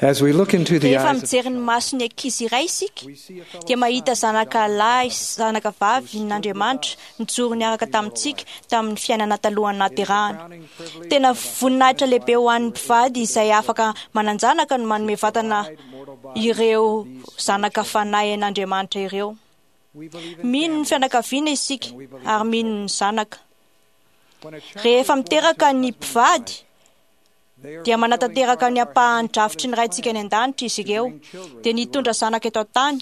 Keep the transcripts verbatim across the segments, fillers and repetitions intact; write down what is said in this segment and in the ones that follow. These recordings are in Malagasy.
As we look into the Rehefa eyes of mijery ny mason'ny ankizy iray isika, dia mahita zanaka lahy sy zanaka vavy n'Andriamanitra nijoro niaraka tamintsika tamin'ny fiainana talohan'ny nahaterahana. Tena voninahitra lehibe ho an'ny mpivady izay afaka manan-janaka no manome vatana ireo zanaka fanahy an'Andriamanitra ireo. We believe in Mino ny families, fianakaviana isika and we believe ary in mino children. ny zanaka. When a child Rehefa is born to miteraka a ny husband and mpivady, wife, they are dia fulfilling manatanteraka part ny of our ampahan'ny Heavenly drafitry ny Father's Raintsika any plan an-danitra izy to ireo, bring children dia to nitondra earth. zanaka eto an-tany.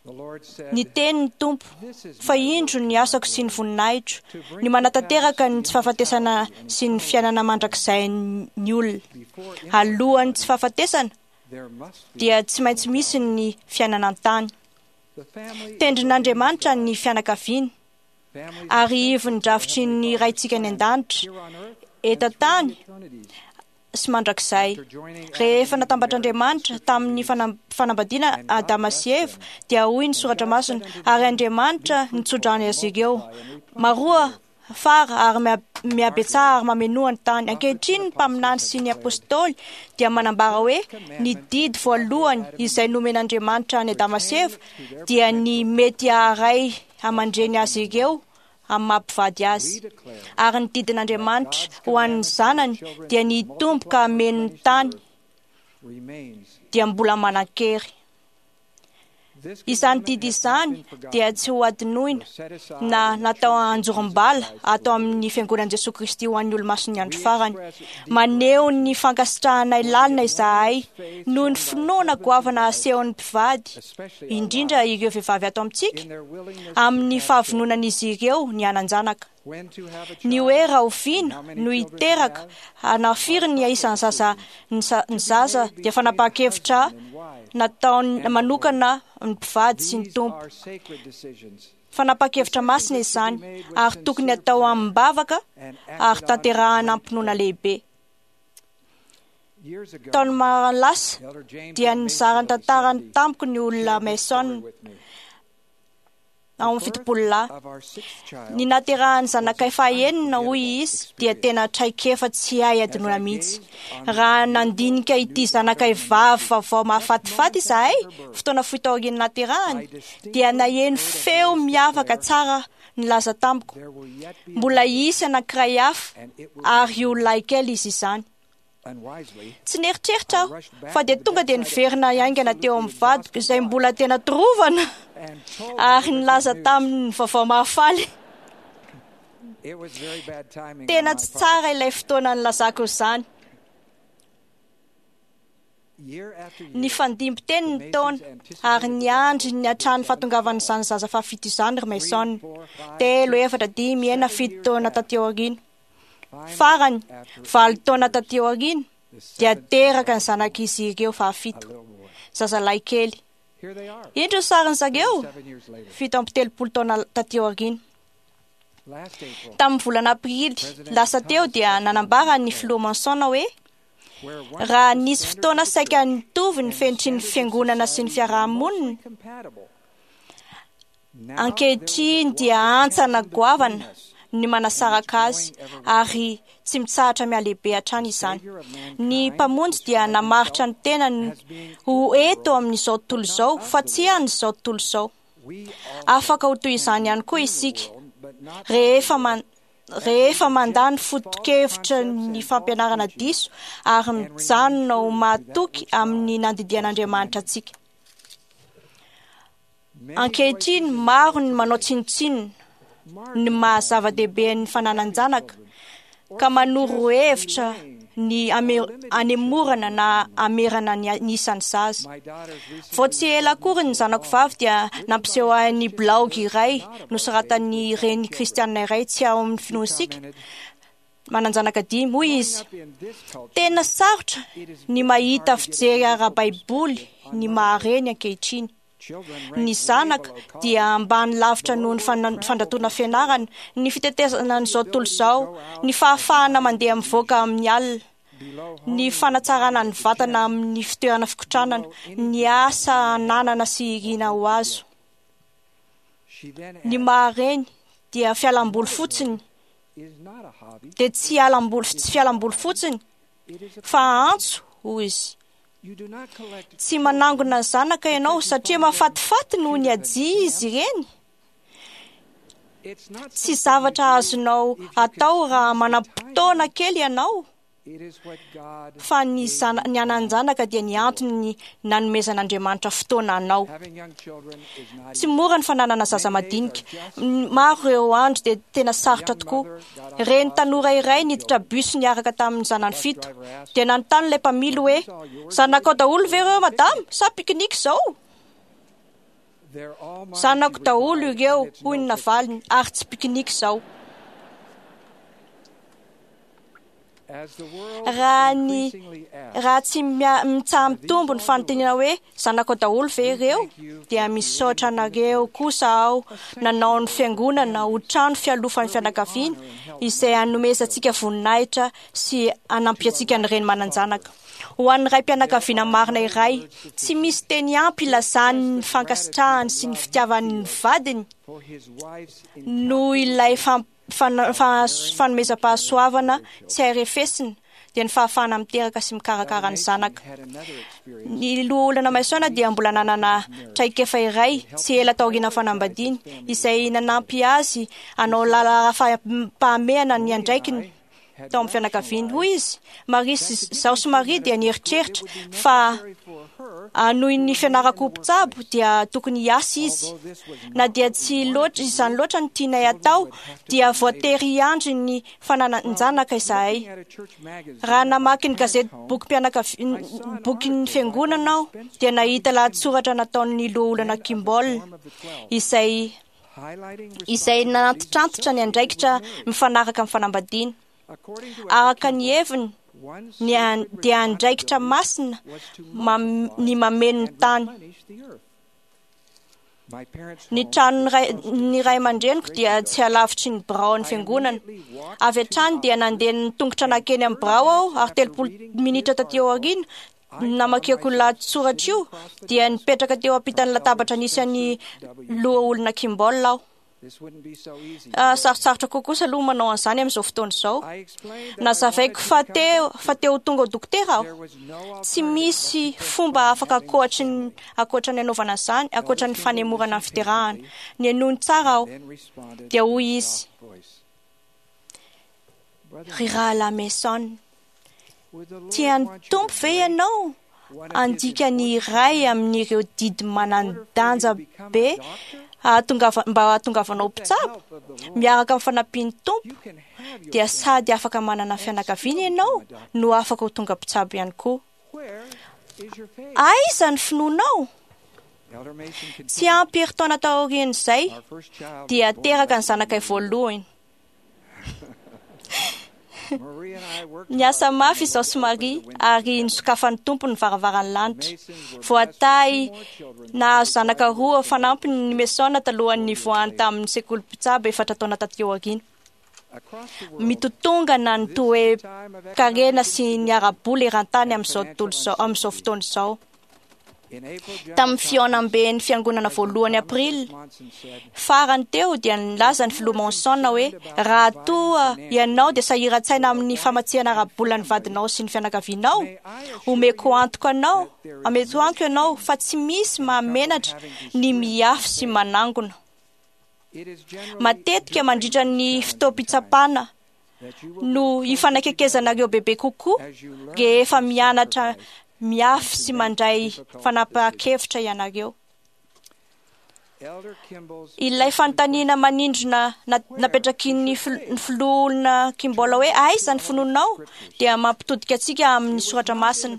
The Lord said, Ny teny ny Tompo, "This is fa my indro work ny and my asako sy ny glory, voninahitro, to ny bring to pass manatanteraka the ny tsy fahafatesana immortality and sy ny eternal fiainana life. mandrakizay ny olona. Before Alohan'ny tsy immortality, fahafatesana there must be dia tsy maintsy misy mortality. ny fiainana an-tany. The family is ordained of Tendrin'Andriamanitra God. ny fianakaviana, Families are ary central ivon'ny to our drafitry Heavenly ny Father's Raintsika any plan an-danitra, here on earth eto and through the an-tany eternities. sy mandrakizay. After joining Adam Rehefa and Eve in marriage, the natambatr'Andriamanitra scripture tamin'ny reads, fanam- fanambadiana And God Adama blessed sy Eva, them. dia hoy ny And soratra God masina, said unto ary them, Be Andriamanitra fruitful nitsodrano and azy ireo. multiply and replenish the Maroa earth. fara ary mia- In our mihabetsaha day, ary mamenoa ny tany. prophets and Ankehitriny ny apostles mpaminany have sy ny declared apôstôly dia the manambara hoe first ny commandment didy that God gave voalohany Adam and izay Eve nomen'Andriamanitra any Adama sy pertaining Eva to their dia ny potential to mety procreate haharay as aman-dreny husband azy and ireo wife. amin'ny maha-mpivady We azy. declare Ary ny that didin'Andriamanitra God's ho an'ny commandment to his zanany children dia to ny hitombo ka multiply and hameno ny replenish the tany earth remains dia mbola manan-kery. This Izany commandment didy has not izany been dia forgotten tsy ho adinoina nor set aside na in the natao church of Jesus anjorom-bala Christ of the ato Latter-day amin'ny Saints. fiangonan'i Jesoa Kristy ho an'ny olomasin'ny andro We farany. express deep Maneho ny gratitude fankasitrahanay for the lalina izahay enormous faith noho ny shown by finoana husbands and goavana wives, asehon'ny mpivady, especially our indrindra wives, ireo vehivavy ato amintsika, in their willingness to amin'ny have children, fahavononan'izy ireo ny hanan-janaka. when to have a Ny hoe child, and rahoviana how many no children to hiteraka, have, na are firy ny private isan'ny zaza decisions ny sa- ny to be zaza made dia between a fanapahan-kevitra husband and wife nataony and the Lord. manokana ny mpivady sy ny These Tompo. are sacred decisions, Fanapahan-kevitra decisions masina that should be izany made with ary tokony sincere atao prayer amim-bavaka and ary acted on with tanterahana great am-pinoana faith. lehibe. Years ago, Taona maro lasa Elder James dia M. Mason nizara ny of the tantarany Seventy tamiko ny olona shared this story Mason with me. ao The amin'ny birth fitopolo lahy. of our sixth Ny child naterahany was zanakay an fahenina hoy unforgettable izy dia experience. tena traikefa tsy hay As adinoina I mihitsy. gazed on this Raha beautiful nandinika ity new daughter zanakay in vavy ministry vaovao just mahafatifaty moments after izahay, her birth, fotoana fohy taorian'ny naterahany, I dia distinctly naheno heard a feo voice miavaka declare, tsara nilaza tamiko, There will yet be mbola another, hisy anankiray hafa and it will ary be io yours. lahikely izy izany. Unwisely, Tsy nieritreritra I aho rushed fa back dia to the tonga dia bedside of my niverina haingana teo absolutely amin'ny vadiko exhausted izay wife mbola tena torovana and told her ary the good nilaza news. taminy ny vaovao mahafaly. It was very bad timing on Tena my tsy part. tsara ilay fotoana nilazako izany. Year after Ny year, fandimby teny the ny taona Masons ary anticipated the niandry arrival ny of their hatrany seventh fahatongavan'izany child. zaza fahafito izany ry Three, Mason. four, five, Telo, six, efatra, dimy, enina, seven fito years taona passed. taty aoriana. Finally, Farany, after valo eight taona years, taty aoriana, the dia seventh teraka ny child was born, zanak'izy ireo a fahafito, little boy. zazalahy kely. Here they are, Indro ny sarin'ny zareo, thirty-seven years later. fito amby telopolo taona taty aoriana. Last April, Tamin'ny volana aprily President lasa teo Thomas dia S. Monson nanambara ny declared, filoha Monson hoe Where once raha the nisy standards fotoana of the saika church nitovy ny and the fenitry ny standards of fiangonana sy ny society were fiarahamonina, mostly compatible, now there is a ankehitriny dia wide hantsana chasm between goavana us, ny and it's manasaraka azy growing ever wider. ary tsy mitsahatra mihalehibe hatrany The izany. Savior of Ny mankind mpamonjy dia described namaritra himself ny tenany as being ho in the eto world, amin'izao but tontolo not izao of fa the tsy world. an'izao tontolo izao. We Afaka also ho toy can izany be ihany koa in the isika world, but not of the rehefa world, man as we rehefa mandà ny reject false foto-kevitra concepts ny and false fampianarana teachings diso ary and remain mijanona ho true to that mahatoky which amin'ny God has nandidian'Andriamanitra commanded. antsika. Many Ankehitriny voices in the maro world ny manao today tsinontsinona ny marginalize maha the zava-dehibe ny importance of having fananan-janaka children or ka manoro suggest hevitra delaying ny or ame- limiting children anemorana in the na family. amerana ny ny isan'ny zaza. My daughters Vao recently tsy ela referred me akory to ny a zanako blog vavy dia written by a nampiseho ahy ny Christian blaogy mother iray not of our faith nosoratan'ny with five reny children. kristianina iray tsy ao amin'ny She finoantsika commented, manan-janaka dimy. Hoy Growing izy, up in this culture, tena sarotra it is ny very mahita hard to get a fijery biblical ara-baiboly perspective on ny motherhood. maha-reny ankehitriny. Children Ny rank way zanaka below dia college, ambany lavitra below noho ny world fana- travel fandratoana to school, fianarana, ny fitetezana below the an'izao tontolo ability to izao, go out ny at fahafahana night for mandeha mivoaka leisure, amin'ny alina, below ny honing the fanatsarana body ny at the vatana gym, amin'ny fitoerana fikotranana, below ny anything asa we may have ananana sy or irina hope ho to azo. get. She then Ny adds, maha-reny dia fialamboly Motherhood fotsiny, is not a hobby, dia tsy alamboly tsy is not a fialamboly hobby, fotsiny it is a fa calling. antso, hoy izy. Tsy manangona ny zanaka ianao satria mahafatifaty noho ny hajia izy ireny. Tsy zavatra azonao atao raha manam-potoana kely ianao, fa ny zana- ny hanan-janaka dia ny antony nanomezan'Andriamanitra fotoana anao. Tsy mora ny fananana zaza madinika. Maro ireo andro dia tena sarotra tokoa. Reny tanora iray niditra bus niaraka tamin'ny zanany fito. Dia nanontany ilay mpamily hoe: "Zanakao daholo ve ireo madama sa pikinika izao?" "Zanako daholo ireo," hoy ny navaliny, "ary tsy pikinika izao." Raha ny raha tsy mitsaha-mitombo ny fanontaniana hoe zanakao daholo ve ireo, dia misaotra anareo kosa aho nanao ny fiangonana ho trano fialofan'ny fianakaviana izay hanomezantsika voninahitra sy hanampiantsika ny reny manan-janaka. Ho an'ny ray-pianakaviana marina iray, tsy misy teny ampy ilazany ny fankasitrahany sy ny fitiavany ny vadiny noho ilay fanomezam-pahasoavana tsy hay refesina, dia ny fahafahana miteraka sy mikarakara ny zanaka. Ny loholona Mason dia mbola nanana traikefa iray tsy ela taorian'ny fanambadiany, izay nanampy azy hanao laharam-pahamehana ny andraikiny tao amin'ny fianakaviany. Hoy izy: "Maria sy izaho sy Maria dia nieritreritra fa hanohy ny fianarako ho mpitsabo dia tokony hiasa izy. Na dia tsy loatra izany loatra no tianay atao, dia voatery hiandry ny fananan-janaka izahay. Raha namaky ny gazety bokim-pianakavi- bokin'ny fiangonana aho, dia nahita lahatsoratra nataon'ny loholona Kimball izay izay nanantitrantitra ny andraikitra mifanaraka amin'ny fanambadiana. Araka ny heviny, ny an- dia andraikitra masina mam- ny mameno ny tany. Ny tranon'ny ray, ny ray aman-dreniko dia tsy halavitry ny biraon'ny fiangonana. Avy hatrany dia nandeha ny tongotra nankeny amin'ny birao aho, ary telopolo minitra taty aoriana namakiako lahatsoratra io, dia nipetraka teo ampitan'ny latabatra nisy an'ny loholona Kimball aho. Sarotsarotra kokoa kosa aloha manao an'izany amin'izao fotoana izao. Nazavaiko fa te fa te ho tonga ho dokotera aho. Tsy misy fomba afaka ankoatry ny ankoatra ny anaovana an'izany, ankoatra ny fanemorana ny fiterahana. Nihainoany tsara aho. Dia hoy izy: "Ry rahalahy Mason, tian'ny Tompo ve ianao handika ny iray amin'ireo didy manan-danja be hahatongava- mba hahatongavanao mpitsabo? Miaraka amin'ny fanampian'ny Tompo, dia sady afaka manana fianakaviana ianao no afaka ho tonga mpitsabo ihany koa. Aiza ny finoanao?" Tsy ampy herintaona taorian'izay dia teraka ny zanakay voalohany. Niasa mafy izaho sy Maria ary nisokafan'ny Tompo ny varavaran'ny lanitra. Voatahy nahazo zanaka roa fanampiny ny Mason talohan'ny nivoahany tamin'ny sekoly mpitsabo efatra taona taty aoriana. Mitotongana ny toe-karena sy ny ara-bola eran-tany amin'izao tontolo izao, amin'izao fotoana izao. Tamin'ny fihaonamben'ny fiangonana voalohany aprily farany teo dia nilaza ny filoha Monson hoe: "Raha toa ianao dia sahiran-tsaina amin'ny famatsiana ara-bola ny vadinao sy ny fianakavianao, omeko antoka anao, omeko antoka ianao fa tsy misy mahamenatra ny miafy sy manangona. Matetika mandritra ny fotoam-pitsapana no hifanakekezanareo bebe kokoa rehefa mianatra miafy sy mandray fanapahan-kevitra ianareo." Ilay fanontaniana manindrona napetraky ny filoholona Kimball hoe aiza ny finoanao dia mampitodika antsika amin'ny soratra masina.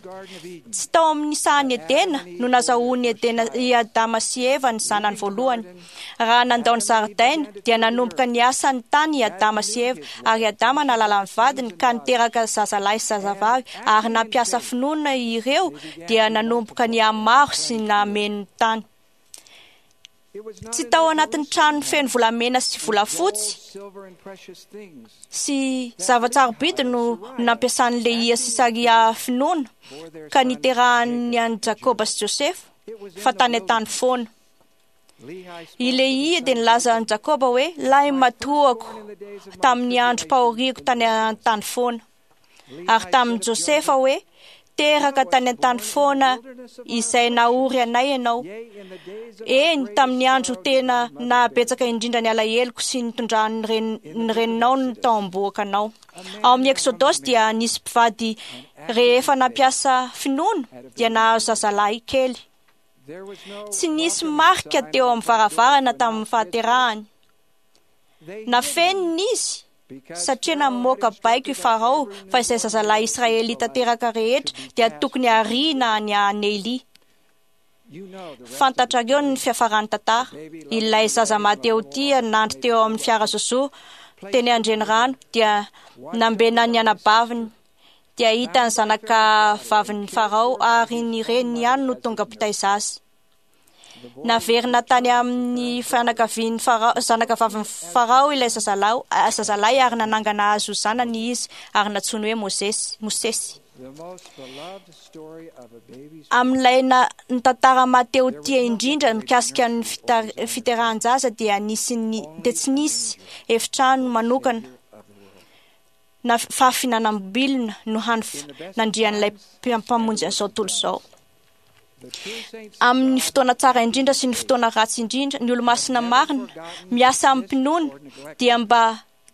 Tsy tao amin'ny sahan'i Edena no nazahoan'i Edena i Adama sy Eva ny zanany voalohany. Raha nandao ny zaridaina dia nanomboka niasa ny tany i Adama sy Eva, ary Adama nahalala ny vadiny ka niteraka zazalahy sy zazavavy, ary nampiasa finoana ireo dia nanomboka nihamaro sy nameno ny tany. Tsy tao anatin'ny trano feno volamena sy volafotsy sy zava-tsarobidy no nampiasan'i Lehia sy Saria finoana ka niterahany an'i Jakoba sy Josefa, fa tany an-tany foana. I Lehia dia nilaza an'i Jakoba hoe: "Lahy matoako tamin'ny androm-pahoriako tany an-tany foana." Ary tamin'i Josefa hoe: Teraka tany an-tany foana izay nahory anay ianao. Eny, tamin'ny andro tena nahabetsaka indrindra ny alaheloko sy nitondran'ny ren- ny reninao ny tao am-bohoka anao. Ao amin'ny Eksodosy dia nisy mpivady rehefa nampiasa finoana dia nahazo zazalahy kely. Tsy nisy marika teo amin'ny varavarana tamin'ny fahaterahany. Nafenina izy satria namoaka baiko i Farao fa izay zazalahy israelita teraka rehetra dia tokony hariana any Neily. Fantatrareo ny fiafaran'ny tantara. Ilay zaza mahatehotia nandry teo amin'ny fiara zozo teny an-drenirano dia nambenan'ny anabaviny. Dia hita ny zanaka vavin'ny Farao ary ny reniny ihany no tonga mpitaiza azy. Naverina tany amin'ny fianakavian'ny Farao, zanaka vavin'ny Farao ilay zazalahy, zazalahy ary nanangana azy ho zanany izy ary nantsoiny hoe Mosesy. Mosesy. Amin'ilay na- ny tantara mahatehotia indrindra mikasika ny fitar- fiterahan-jaza dia nisy ny dia tsy nisy efitrano manokana na fahafinanam-bilona no hany nandrian'ilay mpamonjy an'izao tontolo izao. Amin'ny fotoana tsara indrindra sy ny fotoana ratsy indrindra, ny olomasina marina miasa amin'ny-pinoana dia mba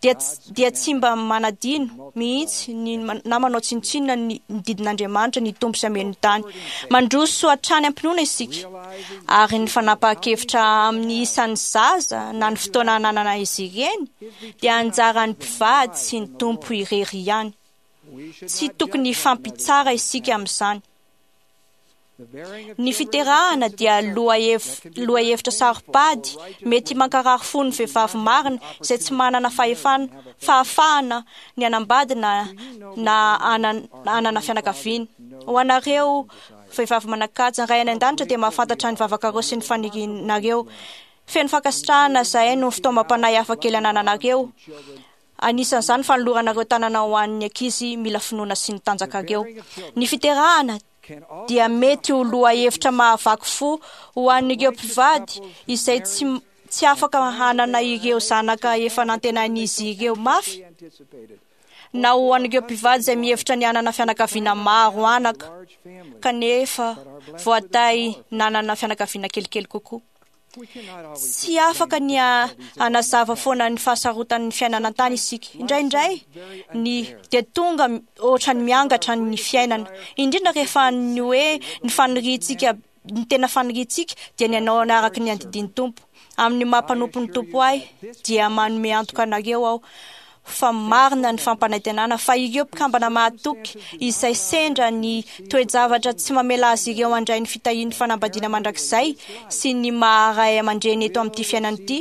dia dia tsy mba manadino mihitsy ny na manao tsinontsinona ny ny didin'Andriamanitra ny Tompo sy hameno ny tany. Mandroso hatrany am-pinoana isika ary ny fanapahan-kevitra amin'ny isan'ny zaza na ny fotoana ananana izy ireny dia anjaran'ny mpivady sy ny Tompo irery ihany. Tsy tokony hifampitsara isika amin'izany. Ny fiterahana dia lohahevitra saro-pady mety mankarary fo ny vehivavy marina izay tsy manana fahefana fahafahana ny hanambady na na hanana fianakaviana. Ho anareo vehivavy manan-kaja, ny Ray any an-danitra dia mahafantatra ny vavakareo sy ny fanirianareo. Feno fankasitrahana izahay noho ny fitaomam-panahy hafa kely anananareo. Anisan'izany fanoloranareo tanana ho an'ny ankizy mila finoana sy ny tanjakareo. Ny fiterahana dia mety ho lohahevitra mahavaky fo ho an'ireo mpivady izay tsy tsy afaka hanana ireo zanaka efa nantenain'izy ireo mafy, na ho an'ireo mpivady izay mihevitra ny hanana fianakaviana maro anaka kanefa voatahy nanana fianakaviana kelikely kokoa. Tsy afaka ny hanazava foana ny fahasarotan'ny fiainana an-tany isika. Indraindray ny dia tonga ohatra ny miangatra ny fiainana, indrindra rehefa ny hoe ny faniriantsika, ny tena faniriantsika dia ny hanao araka ny andidin'ny Tompo. Amin'ny maha mpanompon'ny Tompo ahy dia manome antoka anareo aho fa marina ny fampanantenana fa ireo mpikambana mahatoky izay sendra ny toe-javatra tsy mamela azy ireo handray ny fitahian'ny fanambadiana mandrakizay sy ny maha-ray aman-dreny eto amin'ity fiainana ity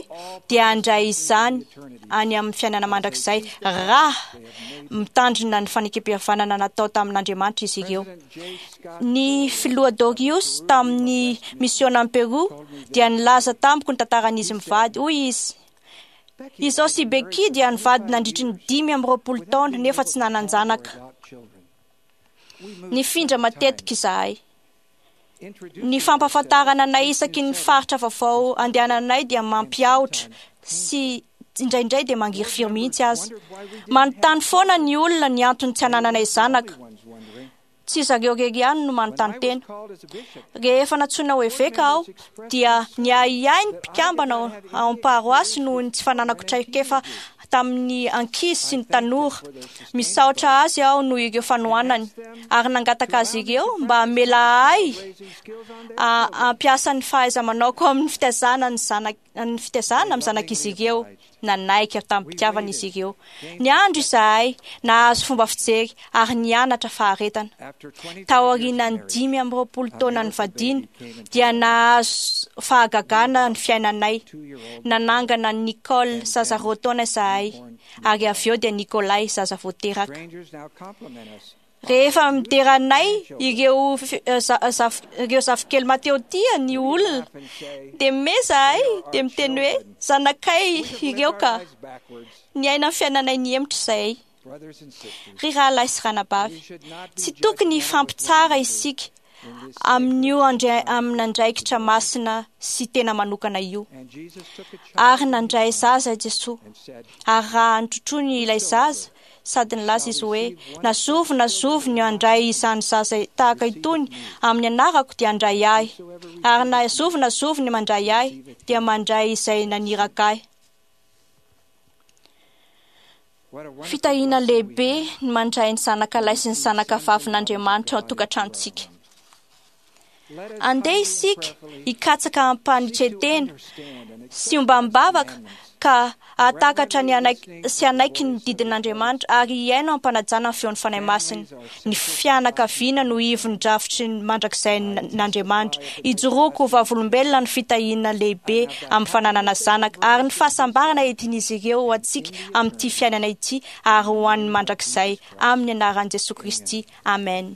dia handray izany any amin'ny fiainana mandrakizay raha mitandrina ny fanekem-pihavanana natao tamin'Andriamanitra izy ireo. Ny filoha Dorius tamin'ny misiona any Peru dia nilaza tamiko ny tantaran'izy mivady. Hoy izy: Izaho sy Becky dia nivady nandritry ny dimy amby roapolo taona nefa tsy nanan-janaka. Nifindra matetika izahay. Ny fampahafantarana anay isaky ny faritra vaovao andehananay dia mampiahotra sy indraindray dia mangirifiry mihitsy aza. Manontany foana ny olona ny antony tsy anananay zanaka. Tsy zareo irery ihany no manontany tena. Rehefa nantsoina ho eveka aho dia niahiahy ny mpikambana ao am-paroasy noho ny tsy fananako traikefa tamin'ny ankizy sy ny tanora. Misaotra azy aho noho ireo fanohanany ary nangataka azy ireo mba hamela ahy hampiasa ny fahaiza-manaoko amin'ny fitaizana ny zanak ny fitaizana amin'ny zanak'izy ireo. Nanaiky tamin'ny-pitiavana izy ireo. Niandry izahay, nahazo fomba fijery ary nianatra faharetana. Taorian'ny dimy amby roapolo taona nivadiana dia nahazo fahagagana ny fiainanay. Nanangana Nicole zaza roa taona izahay ary avy eo dia Nikolay zaza vao teraka. Rehefa midera anay ireo ireo zafikely mateotia ny olona dia meza ahy dia miteny hoe zanakay ireo ka niaina ny fiainanay nihemotra izahay. Ry rahalahy sy ranabavy, tsy tokony hifampitsara isika amin'io amin'andraikitra masina sy tena manokana io. Ary nandray zaza i Jesoa, ary raha notrotroiny ilay zaza Sady nilaza izy hoe: "Na zovy na zovy ny handray izany zaza tahaka itony amin'ny anarako dia handray ahy, ary na zovy na zovy ny mandray ahy dia mandray izay naniraka ahy." Fitahiana lehibe ny mandray ny zanaka lahy sy ny zanaka vavin'Andriamanitra ao an-tokantranontsika. Andeha isika hikatsaka ampanetren-tena sy ombam-bavaka ka hahatakatra ny hanaiky sy hanaiky ny didin'Andriamanitra ary hihaino ampanajana ny feon'ny Fanahy Masina. Ny fianakaviana no ivon'ny drafitry ny mandrakizay-n'Andriamanitra. Ijoroako ho vavolombelona ny fitahiana lehibe amin'ny fananana zanaka ary ny fahasambarana entin'izy ireo ho antsika amin'ity fiainana ity ary ho an'ny mandrakizay, amin'ny anaran'i Jesoa Kristy. Amen.